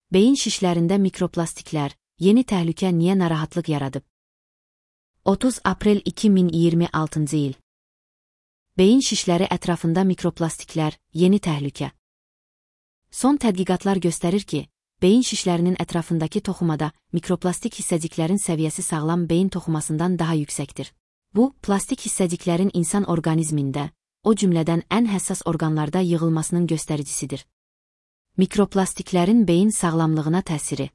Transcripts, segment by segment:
Beyin şişlərində mikroplastiklər, yeni təhlükə niyə narahatlıq yaradıb? 30 aprel 2026-cı il. Beyin şişləri ətrafında mikroplastiklər, yeni təhlükə. Son tədqiqatlar göstərir ki, beyin şişlərinin ətrafındakı toxumada mikroplastik hissəciklərin səviyyəsi sağlam beyin toxumasından daha yüksəkdir. Bu, plastik hissəciklərin insan orqanizmində, o cümlədən ən həssas orqanlarda yığılmasının göstəricisidir. Mikroplastiklərin beyin sağlamlığına təsiri.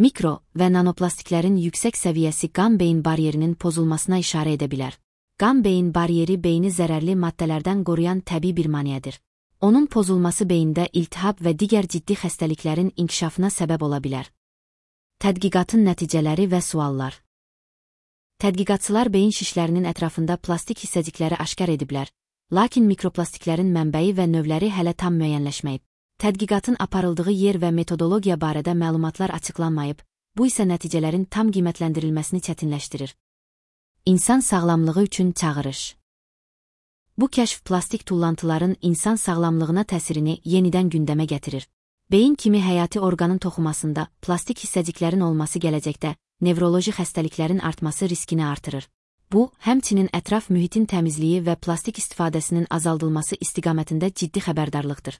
Mikro və nanoplastiklərin yüksək səviyyəsi qan-beyin bariyerinin pozulmasına işarə edə bilər. Qan-beyin bariyeri beyni zərərli maddələrdən qoruyan təbii bir maneədir. Onun pozulması beyində iltihab və digər ciddi xəstəliklərin inkişafına səbəb ola bilər. Tədqiqatın nəticələri və suallar. Tədqiqatçılar beyin şişlərinin ətrafında plastik hissəcikləri aşkar ediblər, lakin mikroplastiklərin mənbəyi və növləri hələ tam müəyyənləşməyib. Tədqiqatın aparıldığı yer və metodologiya barədə məlumatlar açıqlanmayıb, bu isə nəticələrin tam qiymətləndirilməsini çətinləşdirir. İnsan sağlamlığı üçün çağırış. Bu kəşf plastik tullantıların insan sağlamlığına təsirini yenidən gündəmə gətirir. Beyin kimi həyati orqanın toxumasında plastik hissəciklərin olması gələcəkdə nevroloji xəstəliklərin artması riskini artırır. Bu, həmçinin ətraf mühitin təmizliyi və plastik istifadəsinin azaldılması istiqamətində ciddi xəbərdarlıqdır.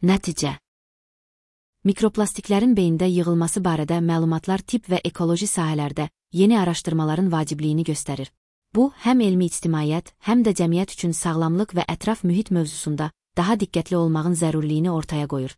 Nəticə. Mikroplastiklərin beyində yığılması barədə məlumatlar tibb və ekoloji sahələrdə yeni araşdırmaların vacibliyini göstərir. Bu, həm elmi ictimaiyyət, həm də cəmiyyət üçün sağlamlıq və ətraf mühit mövzusunda daha diqqətli olmağın zərurliyini ortaya qoyur.